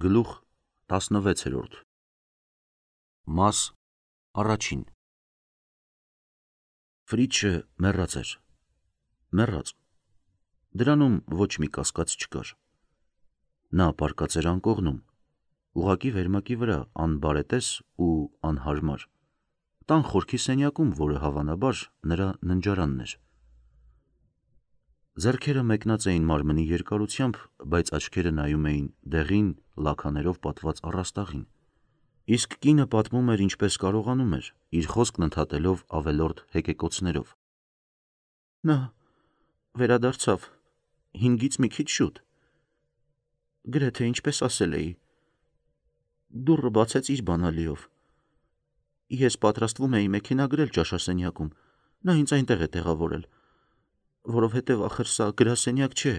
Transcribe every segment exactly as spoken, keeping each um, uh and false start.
Գլուխ տասնվեցերորդ Մաս առաջին Ֆրիչը մեռած էր, մեռած, դրանում ոչ մի կասկած չկար, նա պառկած էր անկողնում, ուղղակի վերմակի վրա անբարետես ու անհարմար, տան խորքի սենյակում, որը հավանաբար նրա ննջարանն էր, ձեռքերը մեկնած էին մարմնի երկարությամբ, բայց աչքերը նայում էին դեղին լաքաներով պատված առաստաղին, իսկ կինը պատմում էր ինչպես կարողանում էր, իր խոսքն ընդհատելով ավելորդ հեկեկոցներով. Նա վերադարձավ հինգից մի քիչ շուտ, գրեթե ինչպես ասել էի, դուռը բացեց իր բանալիով, ես պատրաստվում էի մեքենա գրել ճաշասենյակում, նա ինձ այնտեղ է տեղավորել, որովհետև ախր սա գրասենյակ չէ,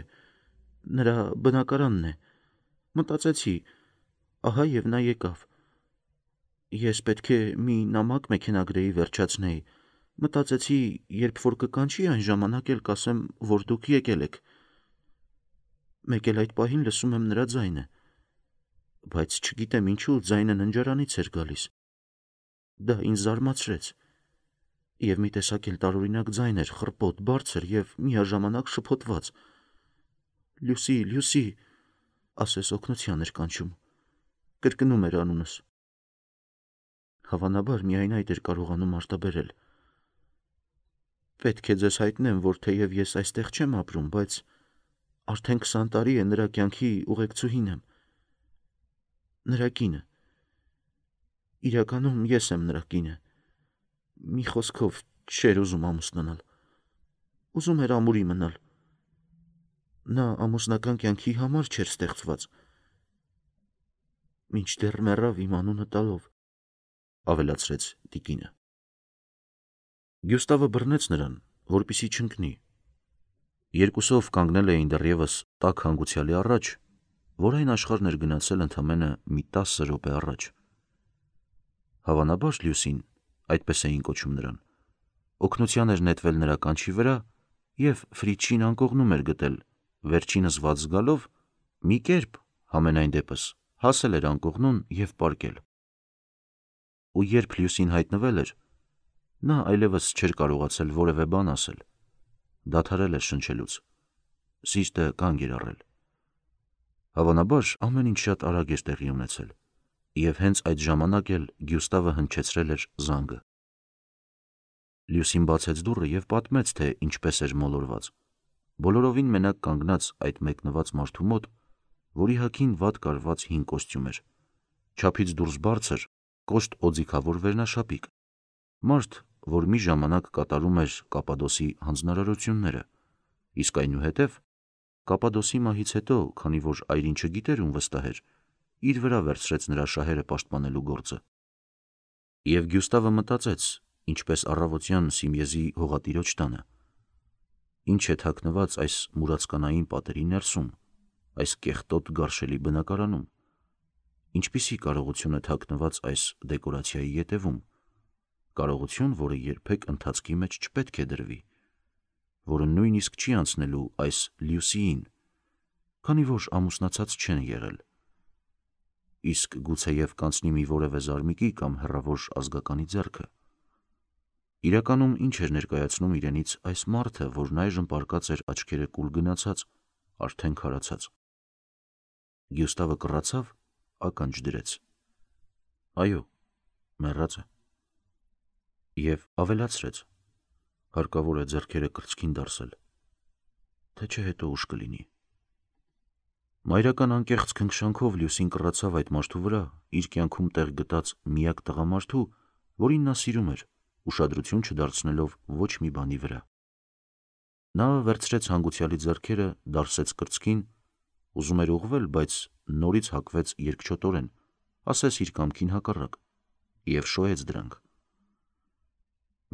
նրա բնակարանն է, մտածեցի, ահա և նա եկավ, ես պետք է մի նամակ մեքենագրեի վերջացնեի, մտածեցի, երբ որ կկանչի այն ժամանակ էլ կասեմ, որ դուք եկել եք, մեկ էլ այդ պահին լսում եմ նրա ձայնը, բայց չգիտեմ ինչու ձայնը ննջարանից էր գալիս, դա ինձ զարմացրեց, և մի տեսակ էլ տարօրինակ ձայն էր, խռպոտ, բարձր և միաժամանակ շփոթված, Լյուսի, Լյուսի, ասես օգնության էր կանչում, կրկնում էր անունս, հավանաբար միայն այդ էր կարողանում արտաբերել, պետք է ձեզ հայտնեմ, որ թեև ես այստեղ չեմ ապրում, բայց արդեն քսան տարի է նրա կյանքի ուղեկցուհին եմ, նրա կինը, իրականում ես եմ նրա կինը, մի խոսքով չէր ուզում ամուսնանալ, ուզում էր ամուրի մնալ, նա ամուսնական կյանքի համար չէր ստեղծված, մինչդեռ մեռավ իմ անունը տալով, ավելացրեց տիկինը, Գյուստավը բռնեց նրան, որպեսզի չընկնի, երկուսով կանգնել էին դեռևս տաք հանգուցյալի առաջ, որ այն աշխարհն էր գնացել ընդամենը մի տասը րոպե առաջ, հավանաբար Լյուսին, այդպես էին կոչում նրան, օգնության էր նետվել նրա կանչի վրա և Ֆրիչին անկողնում էր գտել, վերջինս վատ զգալով, մի կերպ, համենայն դեպս, հասել էր անկողնուն և պառկել, ու երբ Լյուսին հայտնվել էր, նա այլևս չէր կարողացել որևէ բան ասել, դադարել էր շնչելուց, սիրտը կանգ էր առել, հավանաբար ամեն ինչ շատ արագ էր տեղի ունեցել, և հենց այդ ժամանակ էլ Գյուստավը հնչեցրել էր զանգը, Լյուսին բացեց դուռը և պատմեց, թե ինչպես էր մոլորված, բոլորովին մենակ կանգնած այդ մեկնված մարդու մոտ, որի հագին վատ կարված հին կոստյում էր, չափից դուրս բարձր, կոշտ օձիքավոր վերնաշապիկ, մարդ, որ մի ժամանակ կատարում էր Կապադոսի հանձնարարությունները, իսկ այնուհետև, Կապադոսի մահից հետո, քանի որ այրին չգիտեր ում վստահեր, իր վրա վերցրեց նրա շահերը պաշտպանելու գործը, և Գյուստավը մտածեց, ինչպես առավոտյան Սիմեզի հողատիրոջ տանը, ինչ է թաքնված այս մուրացկանային պատերի ներսում, այս կեղտոտ գարշելի բնակարանում, ինչպիսի կարողություն է թաքնված այս դեկորացիայի ետևում, կարողություն, որը երբեք ընթացքի մեջ չպետք է դրվի, որը նույնիսկ չի անցնելու այս Լյուսիին, քանի որ ամուսնացած չեն եղել, իսկ գուցեև կանցնի մի որևէ զարմիկի կամ հեռավոր ազգականի ձեռքը, իրականում ինչ էր ներկայացնում իրենից այս մարդը, որն այժմ պառկած էր աչքերը կուլ գնացած, արդեն քարացած, Գյուստավը կռացավ, ականջ դրեց, այո, մեռած է, և ավելացրեց, հարկավոր է ձեռքերը կրծքին դարսել, թե չէ հետո ուշ կլինի, մայրական անկեղծ քնքշանքով Լյուսին կռացավ այդ մարդու վրա, իր կյանքում տեղ գտած միակ տղամարդու, որին նա սիրում էր, ուշադրություն չդարձնելով ոչ մի բանի վրա, նա վերցրեց հանգուցյալի ձեռքերը, դարսեց կրծքին, ուզում էր ուղղվել, բայց նորից հակվեց երկչոտորեն, ասես իր կամքին հակառակ, և շոյեց դրանք,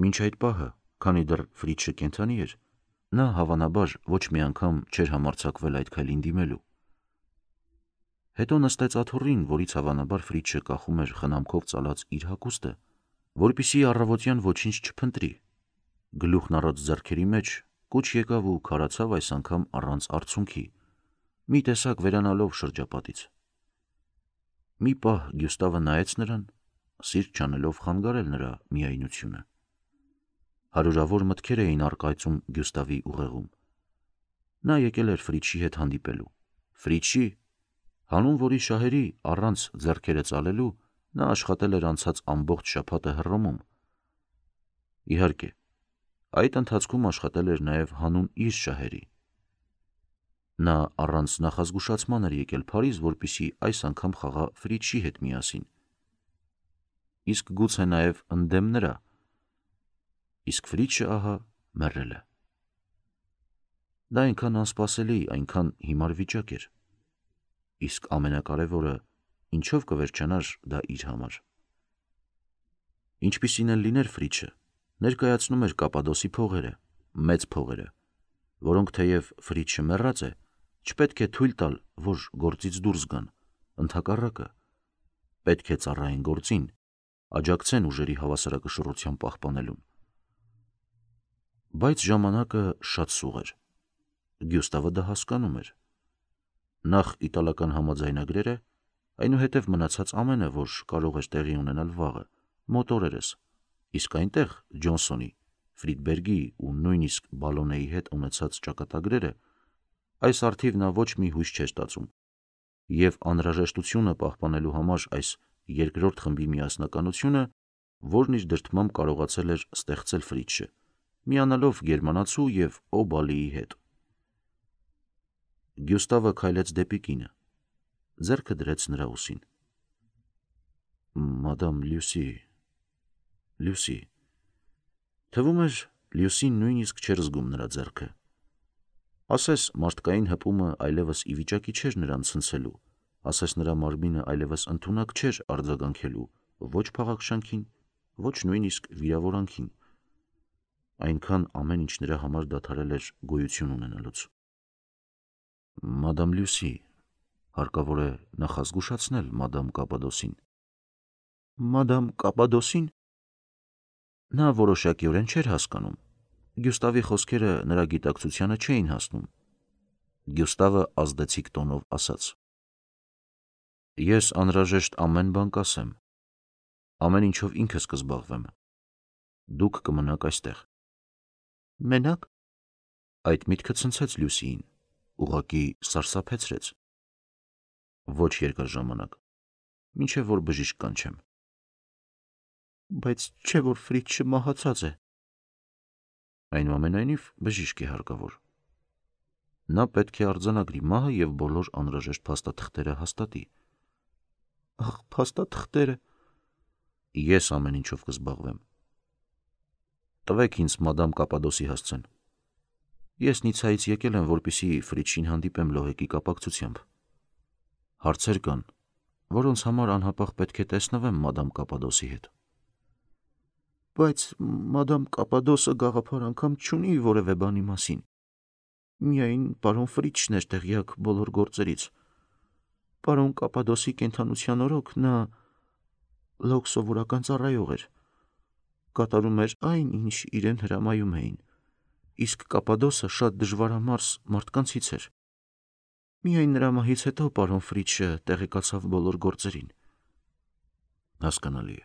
մինչ այդ պահը, քանի դեռ Ֆրիչը կենդանի էր, նա հավանաբար ոչ մի անգամ չէր համարձակվել այդ քայլին դիմելու, հետո նստեց աթոռին, որից հավանաբար Ֆրիչը կախում էր խնամքով ծալած իր հագուստը, որպեսզի առավոտյան ոչինչ չփնտրի, գլուխն առած ձեռքերի մեջ, կուչ եկավ ու քարացավ այս անգամ առանց արցունքի, մի տեսակ վերանալով շրջապատից, Մի պահ Գյուստավը նայեց նրան, սիրտ չանելով խանգարել նրա միայնությունը։ Հարյուրավոր մտքեր էին առկայծում Գյուստավի ուղեղում։ Նա եկել էր Ֆրիչի հետ հանդիպելու։ Ֆրիչի, հանուն որի շահերի առանց ձեռքերը ծալելու նա աշխատել էր անցած ամբողջ շաբաթը Հռոմում։ Իհարկե, այդ ընթացքում աշխատել էր նաև հանուն իր շահերի։ Նա առանց նախազգուշացման էր եկել Փարիզ, որպեսզի այս անգամ խաղա Ֆրիչի հետ միասին։ Իսկ գուցե նաև ընդդեմ նրա։ Իսկ Ֆրիչը ահա մեռել է։ Դա այնքան անսպասելի, այնքան հիմար վիճակ էր։ Իսկ ամենակարևորը, ինչով կվերջանար դա իր համար։ Ինչպիսին էլ լիներ Ֆրիչը, ներկայացնում էր Կապադոսի փողերը, մեծ փողերը, որոնք թեև Ֆրիչը մեռած է, չպետք է թույլ տալ, որ գործից դուրս գան, ընդհակառակը, պետք է ծառայեն գործին, աջակցեն ուժերի հավասարակշռության պահպանելուն։ Բայց ժամանակը շատ սուղ էր։ Գյուստավը դա հասկանում էր։ Նախ իտալական համաձայնագրերը, այնուհետև մնացած ամենը, որ կարող էր տեղի ունենալ վաղը, մոտորերս, իսկ այնտեղ Ջոնսոնի, Ֆրիդբերգի ու նույնիսկ Բալոնեի հետ ունեցած ճակատագրերը, այս առթիվ նա ոչ մի հույս չէր ստացում, և անհրաժեշտությունը պահպանելու համար այս երկրորդ խմբի միասնականությունը, որն իր դրդմամբ կարողացել էր ստեղծել Ֆրիչը, միանալով գերմանացու և Օբալիի հետ։ Գյուստավը քայլեց դեպի կինը, ձեռքը դրեց նրա ուսին։ Մադամ Լյուսի, Լյուսի, թվում էր Լյուսին նույնիսկ չէր զգում նրա ձեռքը։ Ասես մարդկային հպումը այլևս ի վիճակի չէր նրան ցնցելու, ասես նրա մարմինը այլևս ընդունակ չէր արձագանքելու ոչ փաղաքշանքին, ոչ նույնիսկ վիրավորանքին, այնքան ամեն ինչ նրա համար դադարել էր գոյություն ունենալուց։ Մադամ Լյուսի, հարկավոր է նախազգուշացնել մադամ Կապադոսին։ Մադամ Կապադոսին։ Նա որոշակիորեն չէր հասկանում։ Գյուստավի խոսքերը նրա գիտակցությանը չէին հասնում։ Գյուստավը ազդեցիկ տոնով ասաց. Ես անհրաժեշտ ամեն բան կասեմ։ Ամեն ինչով ինքս կզբաղվեմ։ Դուք կմնաք այստեղ։ Մենակ։ Այդ միտքը ցնցեց Լյուսիին, ուղղակի սարսափեցրեց։ Ոչ երկար ժամանակ, մինչև որ բժիշկ կանչեմ։ Բայց չէ՞ որ Ֆրիչը մահացած է։ Այնուամենայնիվ բժիշկ է հարկավոր։ Նա պետք է արձանագրի մահը և բոլոր անհրաժեշտ փաստաթղթերը հաստատի։ Ախ, փաստաթղթերը։ Ես ամեն ինչով կզբաղվեմ։ Տվեք ինձ մադամ Կապադոսի հասցեն։ Ես Նիցայից եկել եմ, որպեսզի Ֆրիչին հանդիպեմ լոհեկի կապակցությամբ։ Հարցեր կան, որոնց համար անհապաղ պետք է տեսնվեմ մադամ Կապադոսի հետ։ Բայց մադամ Կապադոսը գաղափար անգամ չունի որևէ բանի մասին։ Միայն պարոն Ֆրիչն էր տեղյակ բոլոր գործերից։ Պարոն Կապադոսի կենդանության օրոք նա լոկ սովորական ծառայող էր, կատարում էր այն, ինչ իրեն հրամայում էին, իսկ Կապադոսը շատ դժվարամարս մարդկանցից էր։ Միայն նրա մահից հետո պարոն Ֆրիչը տեղեկացավ բոլոր գործերին։ Հասկանալի է։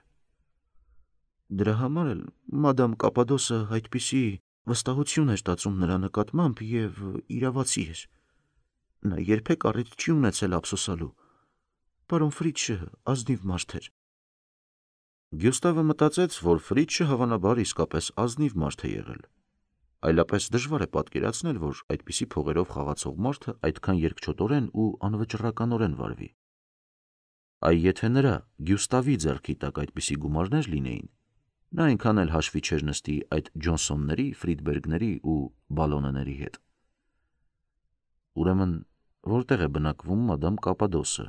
Դրա համար էլ մադամ Կապադոսը այդպիսի վստահություն էր տածում նրա նկատմամբ և իրավացի էր։ Նա երբեք առիթ չի ունեցել ափսոսալու։ Պարոն Ֆրիչը ազնիվ մարդ էր։ Գյուստավը մտածեց, որ Ֆրիչը հավանաբար իսկապես ազնիվ մարդ է եղել։ Այլապես դժվար է պատկերացնել, որ այդպիսի փողերով խաղացող մարդը այդքան երկչոտորեն ու անվճռականորեն վարվի։ Այ եթե նրա Գյուստավի ձեռքի տակ այդպիսի գումարներ լինեին, նա այնքան էլ հաշվի չէր նստի այդ Ջոնսոնների, Ֆրիդբերգների ու Բալոնեների հետ։ Ուրեմն որտեղ է բնակվում մադամ Կապադոսը։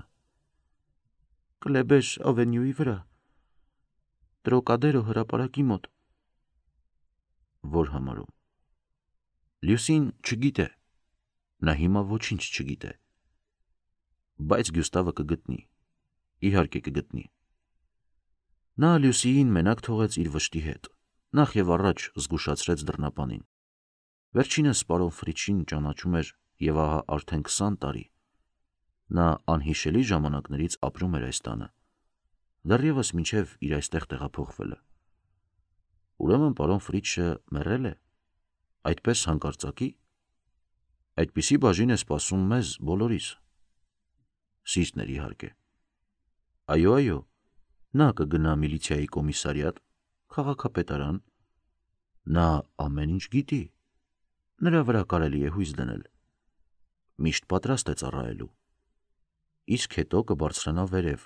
Կլեբեր ավենյուի վրա, Տրոկադերո հրապարակի մոտ։ Որ համարում։ Լյուսին չգիտե։ Նա հիմա ոչինչ չգիտե։ Բայց Գյուստավը կգտնի։ Իհարկե կգտնի։ Նա Լյուսիին մենակ թողեց իր վշտի հետ, նախ և առաջ զգուշացրեց դռնապանին։ Վերջինս պարոն Ֆրիչին ճանաչում էր և ահա արդեն քսան տարի։ Նա անհիշելի ժամանակներից ապրում էր այս տանը, դեռևս մինչև իր այստեղ տեղափոխվելը։ Ուրեմն պարոն Ֆրիչը մեռել է, այդպես հանկարծակի։ Այդպիսի բաժին է սպասում մեզ բոլորիս։ Սիրտն էր իհարկե։ Այո, այո, նա կգնա միլիցիայի կոմիսարիատ, քաղաքապետարան, նա ամեն ինչ գիտի, նրա վրա կարելի է հույս դնել, միշտ պատրաստ է ծառայելու, իսկ հետո կբարձրանա վերև,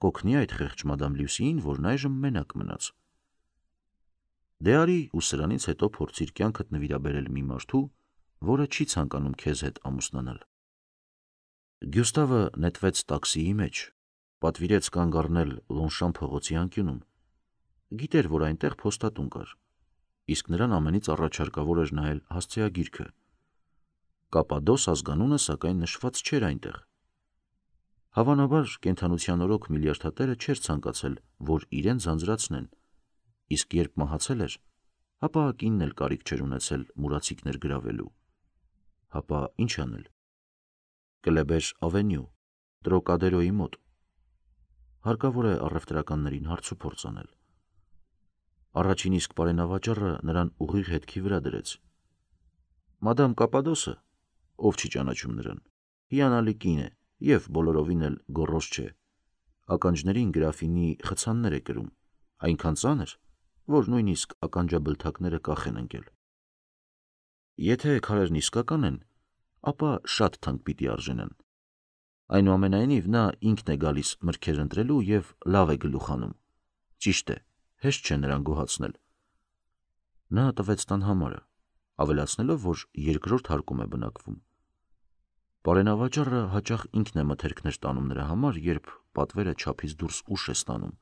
կօգնի այդ խեղճ մադամ Լյուսիին, որն այժմ մենակ մնաց։ Դե արի ու սրանից հետո փորձիր կյանքդ նվիրաբերել մի մարդու, որը չի ցանկանում քեզ հետ ամուսնանալ։ Գյուստավը նետվեց տաքսիի մեջ, պատվիրեց կանգ առնել Լոնշան փողոցի անկյունում։ Գիտեր, որ այնտեղ փոստատուն կար, իսկ նրան ամենից առաջարկավոր էր նայել հասցեագիրքը։ Կապադոս ազգանունը սակայն նշված չէր այնտեղ։ Հավանաբար կենդանության օրոք միլիարդատերը չէր ցանկացել, որ իրեն ձանձրացնեն, իսկ երբ մահացել էր, ապա կինն էլ կարիք չէր ունեցել մուրացիկներ գրավելու։ Հապա ինչ անել։ Կլեբեր ավենյու, Տրոկադերոյի մոտ։ Հարկավոր է առևտրականներին հարցուփորձ անել։ Առաջին իսկ պարենավաճառը նրան ուղիղ հետքի վրա դրեց։ Մադամ Կապադոսը, ով չի ճանաչում նրան, հիանալի կին է և բոլորովին էլ գոռոզ չէ, ականջներին գրաֆինի խցաններ է կրում, այնքան ծանր, որ նույնիսկ ականջաբլթակները կախ են ընկել։ Եթե քարերն իսկական են, ապա շատ թանկ պիտի արժենան։ Այնուամենայնիվ նա ինքն է գալիս մրգեր ընտրելու և լավ է գլուխ անում։ Ճիշտ է, հեշտ չէ նրան գոհացնել։ Նա տվեց տան համարը, ավելացնելով, որ երկրորդ հարկում է բնակվում։ Պարենավաճառը հաճախ ինքն է մթերքներ տանում նրա համար, երբ պատվերը չափից դուրս ուշ է ստանում,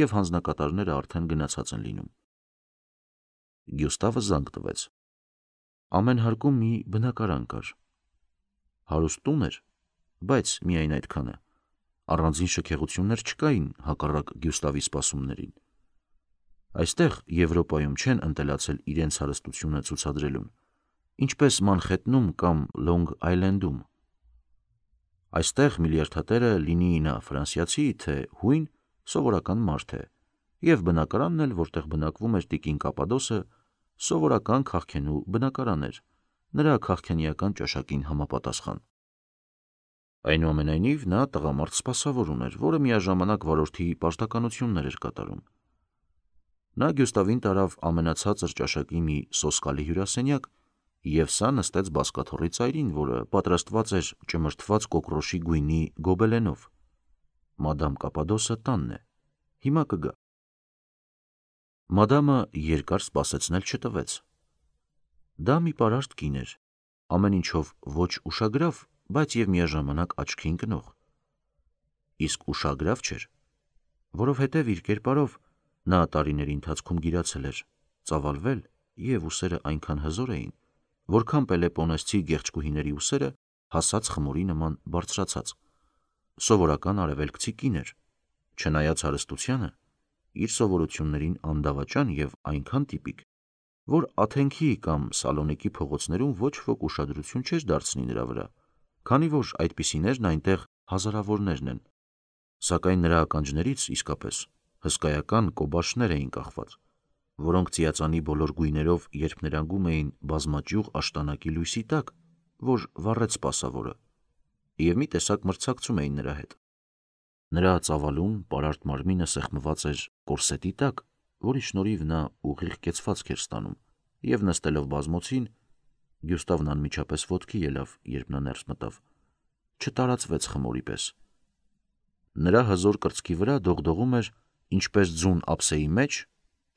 և հանձնակատարները արդեն գնացած են լինում։ Գյուստավը զանգ տվեց։ Ամեն հարկում մի բնակարան կար։ Հարուստ տուն էր, բայց միայն այդքանը։ Առանձին շքեղություններ չկային հակառակ Գյուստավի սպասումներին։ Այստեղ Եվրոպայում չեն ընտելացել իրենց հարստությունը ցուցադրելուն, ինչպես Մանխեթնում կամ Լոնգ Այլենդում։ Այստեղ միլիարդատերը, լինի նա ֆրանսիացի, թե հույն, սովորական մարդ է, և բնակարանն էլ, որտեղ բնակվում էր տիկին Կապադոսը, սովորական քաղքենու բնակարան էր, նրա քաղքենիական ճաշակին համապատասխան։ Այնուամենայնիվ նա տղամարդ սպասավոր ուներ, որը միաժամանակ վարորդի պարտականություններ էր կատարում։ Նա Գյուստավին տարավ ամենացածր ճաշակի մի սոսկալի հյուրասենյակ, և սա նստեց բազկաթոռի ծայրին, որը պատրաստված էր ճմրթված կոկրոշի գույնի գոբելենով։ Մադամ Կապադոսը տանն է, հիմա կգա։ Մադամը երկար սպասեցնել չտվեց։ Դա մի պարարտ կին էր, ամեն ինչով ոչ ուշագրավ, բայց և միաժամանակ աչքի ընկնող։ Իսկ ուշագրավ չէր, որովհետև իր կերպարով նա տարիների ընթացքում գիրացել էր, ծավալվել, և ուսերը այնքան հզոր էին, որքան պելեպոնեսցի գեղեցկուհիների ուսերը հասած խմորի նման բարձրացած։ Սովորական արևելքցի կին էր, չնայած հարստությանը, իր սովորություններին անդավաճան և այնքան տիպիկ, որ Աթենքի կամ Սալոնիկի փողոցներում ոչ ոք ուշադրություն չէր դարձնի նրա վրա, քանի որ այդպիսիներն այնտեղ հազարավորներն են, սակայն նրա ականջներից իսկապես հսկայական կոբաշներ էին կախված, որոնք ծիածանի բոլոր գույներով երբ ներանգում էին բազմաճյուղ աշտանակի լույսի տակ, որ վառեց սպասավորը, և մի տեսակ մրցակցում էին նրա հետ։ Նրա ծավալուն, պարարտ մարմինը սեղմված էր կորսետի տակ, որի շնորհիվ նա ուղիղ կեցվածք էր ստանում, և նստելով բազմոցին, Գյուստավն անմիջապես ոտքի ելավ, երբ նա ներս մտավ, չտարածվեց խմորի պես։ Նրա հզոր կրծքի վրա դողդողում էր, ինչպես ձուն ափսեի մեջ,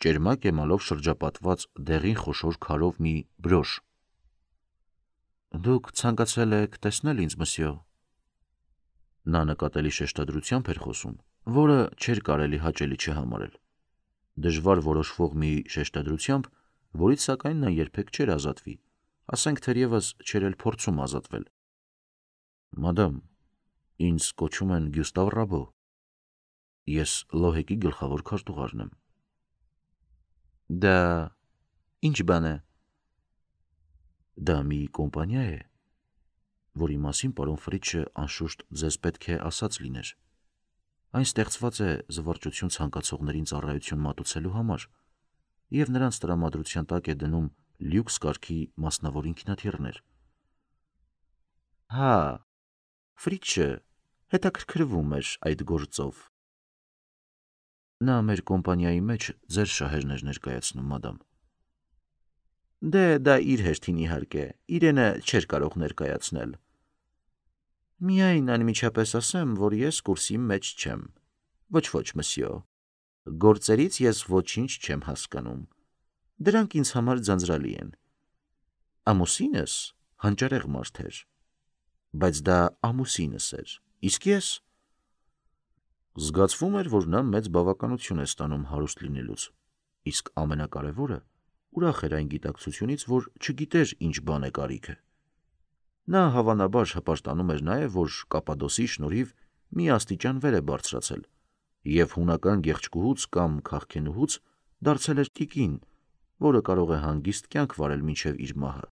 ճերմակ էմալով շրջապատված դեղին խոշոր քարով մի բրոշ։ Դուք ցանկացել եք տեսնել ինձ, մսյո։ Նա նկատելի շեշտադրությամբ էր խոսում, որը չէր կարելի հաճելի չհամարել։ Դժվար որոշվող մի շեշտադրությամբ, որից սակայն նա երբեք չէր ազատվի, ասենք թերևս չէր էլ փորձում ազատվել։ Մադամ, ինձ կոչում են Գյուստավ Ռաբո։ Ես Լոհեկի գլխավոր քարտուղարն եմ։ Դա ինչ բան է։ Դա մի կոմպանիա է։ որի մասին պարոն Ֆրիչը անշուշտ ձեզ պետք է ասած լիներ։ Այն ստեղծված է զվարճություն ցանկացողներին ծառայություն մատուցելու համար, և նրանց տրամադրության տակ է դնում լյուքս կարգի մասնավոր ինքնաթիռներ։ Հա, Ֆրիչը հետաքրքրվում էր այդ գործով։ Նա մեր կոմպանիայի մեջ ձեր շահերն էր ներկայացնում, մադամ։ Դե դա իր հերթին իհարկե, իրենը չէր կարող ներկայացնել։ Միայն անմիջապես ասեմ, որ ես կուրսի մեջ չեմ։ Ոչ ոչ, մսյո, գործերից ես ոչինչ չեմ հասկանում։ Դրանք ինձ համար ձանձրալի են։ Ամուսինս հանճարեղ մարդ էր, բայց դա ամուսինս էր, իսկ ես… Զգացվում էր, որ նա մեծ բավականություն է ստանում հարուստ լինելուց, իսկ ամենակարևորը, ուրախ էր այն գիտակցությունից, որ չգիտեր ինչ բան է կարիքը։ Նա հավանաբար հպարտանում էր նաև, որ Կապադոսի շնորհիվ մի աստիճան վեր է բարձրացել և հունական գեղեցկուհուց կամ քաղքենուհուց դարձել էր տիկին, որը կարող է հանգիստ կյանք վարել մինչև իր մահը։